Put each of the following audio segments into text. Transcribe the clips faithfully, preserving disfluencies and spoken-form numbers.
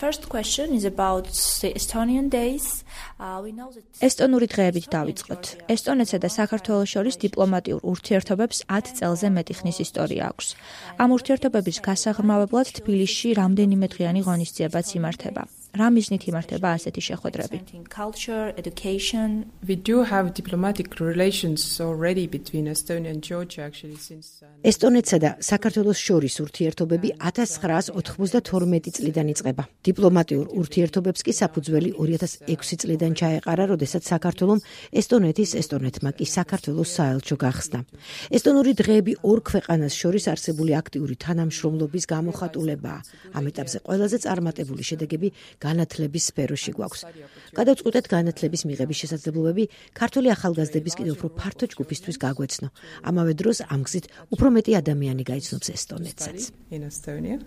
first question is about the Estonian days. Uh, we know that ესტონური დღეებით დავიწყოთ. ესტონეთსა და საქართველოს შორის დიპლომატიურ ურთიერთობებს ათ წელზე მეტი ხნის ისტორია აქვს. ამ ურთიერთობების გასაღრმავებლად თბილისში რამდენიმე დღიანი ღონისძიებაც იმართება. რა მიზნით იმართება ასეთი შეხვედრები? culture, education. We do have diplomatic relations already between Estonia and Georgia actually since ესტონეთსა და საქართველოს შორის ურთიერთობები ათას ცხრაას ოთხმოცდათორმეტი წლიდან იწყება. დიპლომატიურ ურთიერთობებს კი საფუძველი ორი ათას ექვსი წლიდან ჩაეყარა, როდესაც საქართველომ ესტონეთის, ესტონეთმა კი საქართველოს საელჩო გახსნა. ესტონური დღეები ორ ქვეყანას შორის არსებული აქტიური თანამშრომლობის გამოხატულებაა. ამ ეტაპზე ყველაზე წარმატებული შედეგები განათლების სფეროში გვაქვს. გადავწყვიტეთ განათლების მიღების შესაძლებლობები ქართული ახალგაზრდების კიდევ უფრო ფართო ჯგუფისთვის გაგვეცნო. ამავე დროს ამ გზით უფრო მეტი ადამიანი გაიცნობს ესტონეთსაც. in Estonia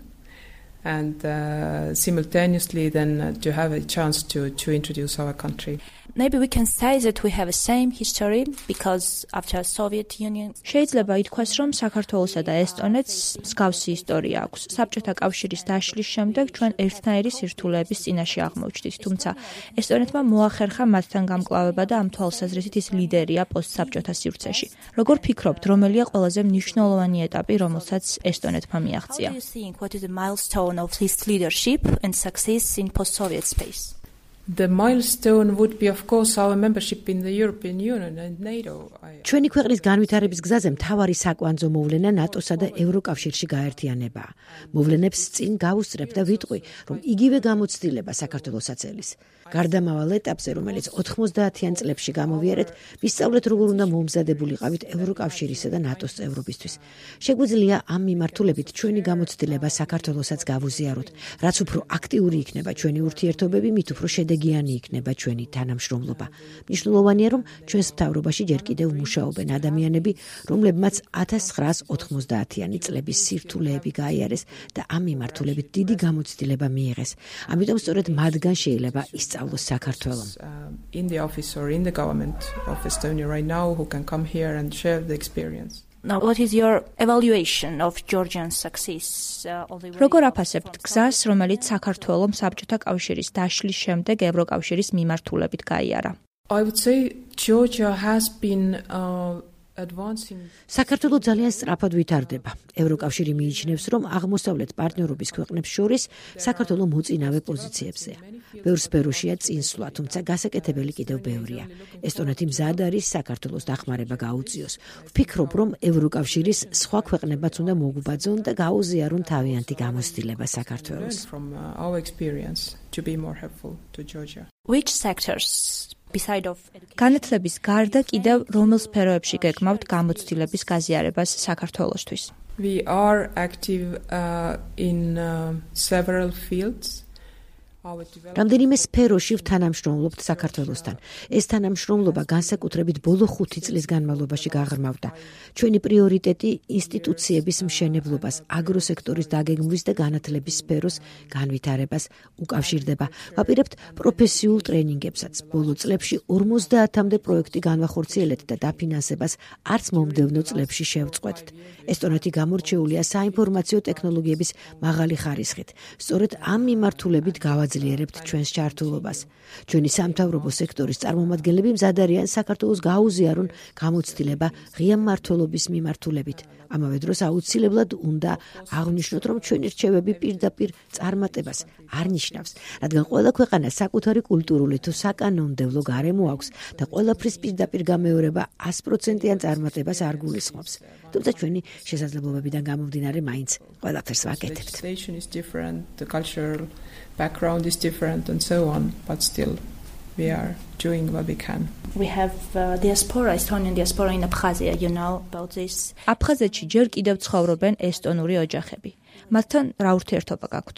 and uh, simultaneously then uh, to have a chance to to introduce our country. Maybe we can say that we have the same history because after Soviet Union შეიძლება ითქვას, რომ საქართველოსა და ესტონეთს მსგავსი ისტორია აქვს. საბჭოთა კავშირის დაშლის შემდეგ ჩვენ ერთნაირი სირთულეების წინაშე აღმოჩნდით, თუმცა ესტონეთმა მოახერხა მათთან გამკლავება და ამ თვალსაზრისით ის ლიდერია პოსტსაბჭოთა სივრცეში. როგორ ფიქრობთ, რომელია ყველაზე მნიშვნელოვანი ეტაპი, რომელსაც ესტონეთმა მიაღწია? How do you think what is the milestone of this leadership and success in post-Soviet space? The milestone would be of course our membership in the European Union and NATO. ჩვენი ქვეყნის განვითარების გზაზე მთავარი საკვანძო მოვლენა ნატოსა და ევროკავშირში გაერთიანებაა. მოვლენებს წინ გავუსწრებ და ვიტყვი, რომ იგივე გამოცდილება საქართველოსაც ელის. გარდამავალ ეტაპზე, რომელიც ოთხმოცდაათიან წლებში გამოვიარეთ, ვისწავლეთ, როგორ უნდა მომზადებულიყავით ევროკავშირისა და ნატოს წევრობისთვის. შეგვიძლია ამ მიმართულებით ჩვენი გამოცდილება საქართველოსაც გავუზიაროთ. რაც უფრო აქტიური იქნება ჩვენი ურთიერთობები, მით უფრო შედეგიანი იქნება ჩვენი თანამშრომლობა. მნიშვნელოვანია, რომ ჩვენს მთავრობაში ჯერ კიდევ მუშაობენ ადამიანები, რომლებმაც ათას ცხრაას ოთხმოცდაათიანი წლების სირთულეები გაიარეს და ამ მიმართულებით დიდი გამოცდილება მიიღეს. ამიტომ სწორედ მათგან შეიძლება ისწავლოს საქართველოს. In the office or in the government of Estonia right now who can come here and share the experience. Now, what is your evaluation of Georgian success? Uh, როგორ აფასებთ გზას, რომელიც საქართველოს საბჭოთა კავშირის დაშლის შემდეგ ევროკავშირის მიმართულებით გაიარა? I would say Georgia has been uh, advancing. საქართველოს ძალიან სწრაფად ვითარდება. ევროკავშირი მიიჩნევს, რომ აღმოსავლეთ პარტნიორობის ქვეყნებს შორის საქართველოს მოწინავე პოზიციებზეა. ბევრ სფეროშია წინსვლა, თუმცა გასაკეთებელი კიდევ ბევრია. ესტონეთი მზად არის საქართველოს დახმარება გაუწიოს. ვფიქრობ, რომ ევროკავშირის სხვა ქვეყნებაც უნდა მოგვბაძონ და გაუზიარონ თავიანთი გამოცდილება საქართველოს. From uh, our experience to be more helpful to Georgia. Which sectors beside of განათლების გარდა კიდევ რომელ სფეროებში გეკმავთ გამოცდილების გაზიარებას საქართველოსთვის? We are active uh, in uh, several fields. რამდენიმე სფეროში ვთანამშრომლობთ საქართველოსთან. ეს თანამშრომლობა განსაკუთრებით ბოლო ხუთი წლის განმავლობაში გაღრმავდა. ჩვენი პრიორიტეტი ინსტიტუციების მშენებლობას, აგროსექტორის დაგეგმვის და განათლების სფეროს განვითარებას უკავშირდება. ვაპირებთ პროფესიულ ტრენინგებსაც. ბოლო წლებში ორმოცდაათამდე პროექტი განვახორციელეთ და დაფინანსებას არც მომდევნო წლებში შევწყვეტთ. ესტონეთი გამორჩეულია საინფორმაციო ტექნოლოგიების მაღალი ხარისხით. სწორედ ამ მიმართულებით გავაძლიერებთ ჩვენს ჩართულობას. ჩვენი სამთავრობო სექტორის წარმომადგენლები მზად არიან საქართველოს გაუზიარონ გამოცდილება ღია მმართველობის მიმართულებით. ამავე დროს აუცილებლად უნდა აღვნიშნოთ, რომ ჩვენი რჩევები პირდაპირ წარმატებას არ ნიშნავს, რადგან ყველა ქვეყანას საკუთარი კულტურული თუ საკანონმდებლო გარემო აქვს და ყველაფრის პირდაპირ გამეორება ას პროცენტიან წარმატებას არ გულისხმობს. თუმცა ჩვენი შესაძლებლობებიდან გამომდინარე მაინც ყველაფერს ვაკეთებთ. The cultural background is different and so on, but still we are doing what we can. We have uh, diaspora, Estonian diaspora in Abkhazia, you know about this. აფხაზეთში ჯერ კიდევ ცხოვრობენ ესტონური ოჯახები. მათთან რა ურთიერთობა გაქვთ?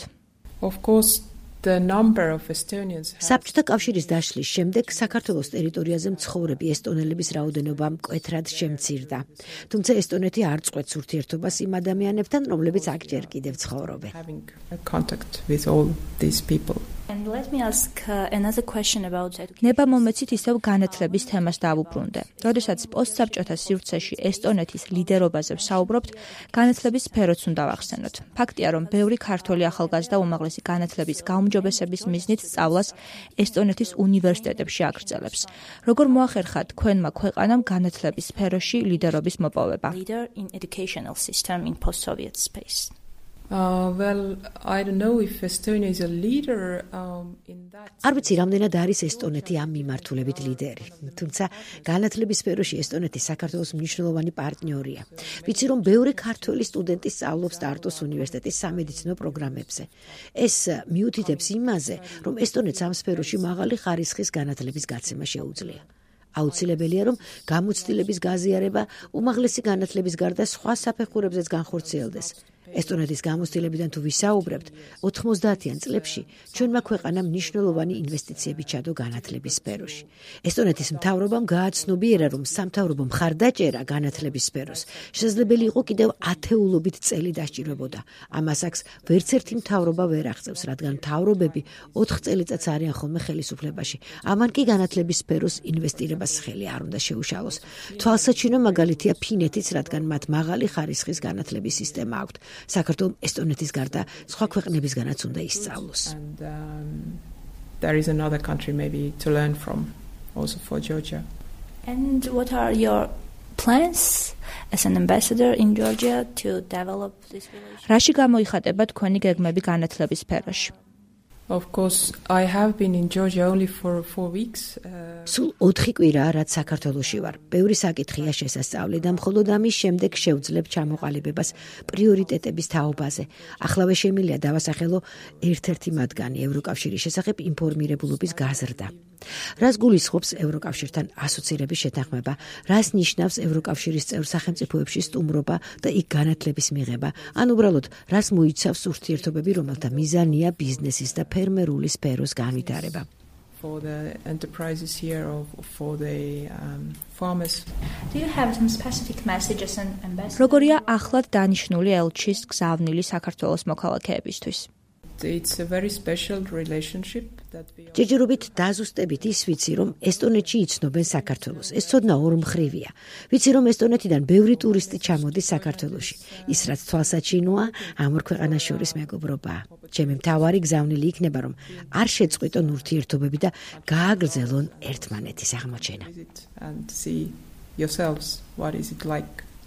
Of course, the number of Estonians has... საბჭოთა კავშირის დაშლის შემდეგ საქართველოს ტერიტორიაზე მცხოვრები ესტონელების რაოდენობა მკვეთრად შემცირდა. თუმცა ესტონეთი არ წყვეტს ურთიერთობას იმ ადამიანებთან, რომლებიც აქ ჯერ კიდევ ცხოვრობენ. Having a contact with all these people. And let me ask uh, another question about education. ნება მომეცით ისევ განათლების თემას დავუბრუნდე. როდესაც პოსტსაბჭოთა სივრცეში ესტონეთის ლიდერობაზე ვსაუბრობთ, განათლების სფეროც უნდა ვახსენოთ. ფაქტია, რომ ბევრი ქართველი ახალგაზრდა უმაღლესი განათლების გაუმჯობესების მიზნით სწავლას ესტონეთის უნივერსიტეტებში აგრძელებს. როგორ მოახერხა თქვენმა ქვეყანამ განათლების სფეროში ლიდერობის მოპოვება? Leader in educational system in post-Soviet space. Uh, well, I don't know if Estonia is a leader um, in that. არ ვიცი, რამდენად არის ესტონეთი ამ მიმართულებით ლიდერი. თუმცა განათლების სფეროში ესტონეთი საქართველოს მნიშვნელოვანი პარტნიორია. ვიცი, რომ ბევრი ქართველი სტუდენტი სწავლობს ტარტუს უნივერსიტეტის სამედიცინო პროგრამებზე. ეს მიუთითებს იმაზე, რომ ესტონეთს ამ სფეროში მაღალი ხარისხის განათლების გაცემა შეუძლია. აუცილებელია, რომ გამოცდილების გაზიარება უმაღლესი განათლების გარდა სხვა საფეხურებზეც განხორციელდეს. ესტონეთის გამოცდილებიდან თუ ვისაუბრებთ, ოთხმოცდაათიან წლებში ჩვენმა ქვეყანამ მნიშვნელოვანი ინვესტიციები ჩადო განათლების სფეროში. ესტონეთის მთავრობამ გააცნობიერა, რომ სამთავრობო მხარდაჭერა განათლების სფეროს შესაძლებელი იყო კიდევ ათეულობით წელი დასჭირვებოდა. ამას აქ ვერც ერთი მთავრობა ვერ აღწევს, რადგან მთავრობები ოთხ წელიწადს არიან ხოლმე ხელისუფლებაში. ამან კი განათლების სფეროს ინვესტირებას ხელი არ უნდა შეუშალოს. თვალსაჩინო მაგალითია ფინეთიც, რადგან მათ მაღალი ხარისხის განათლების სისტემა აქვთ. საქართველოს ესტონეთის გარდა სხვა ქვეყნებისგანაც უნდა ისწავლოს. And um, there is another country maybe to learn from, also for Georgia. And what are your plans as an ambassador in Georgia to develop this relationship? რაში გამოიხატება თქვენი გეგმები განათლების სფეროში? Of course, I have been in Georgia only for four weeks. Uh, სულ ოთხი კვირაა, რაც საქართველოში ვარ. ბევრი საკითხია შესასწავლი და მხოლოდ ამის შემდეგ შევძლებ ჩამოყალიბებას პრიორიტეტების თაობაზე. ახლავე შემიძლია დავასახელო ერთ-ერთი მათგანი ევროკავშირის შესახებ ინფორმირებულობის გაზრდა. რას გულისხმობს ევროკავშირთან ასოცირების შეთანხმება, რას ნიშნავს ევროკავშირის წევრ სახელმწიფოებში სტუმრობა და იქ განათლების მიღება, ან უბრალოდ რას მოიცავს ურთიერთობები, რომელთა მიზანია ბიზნესის და ფერმერული სფეროს განვითარება. for the enterprises here or for the um, farmers. Do you have some specific messages and ambassador? როგორია ახლად დანიშნული ელჩის გზავნილი საქართველოს მოქალაქეებისთვის? It's a very special relationship that we ჯერჯერობით დაზუსტებით ის ვიცი, რომ ესტონეთში იცნობენ საქართველოს. ეს ცოდნა ორმხრივია. ვიცი, რომ ესტონეთიდან ბევრი ტურისტი ჩამოდის საქართველოში. ის რაც თვალსაჩინოა, ამ ორ ქვეყანას შორის მეგობრობაა. ჩემი მთავარი გზავნილი იქნება, რომ არ შეწყვიტონ ურთიერთობები და გააგრძელონ ერთმანეთის აღმოჩენა. visit and see yourselves what is it like.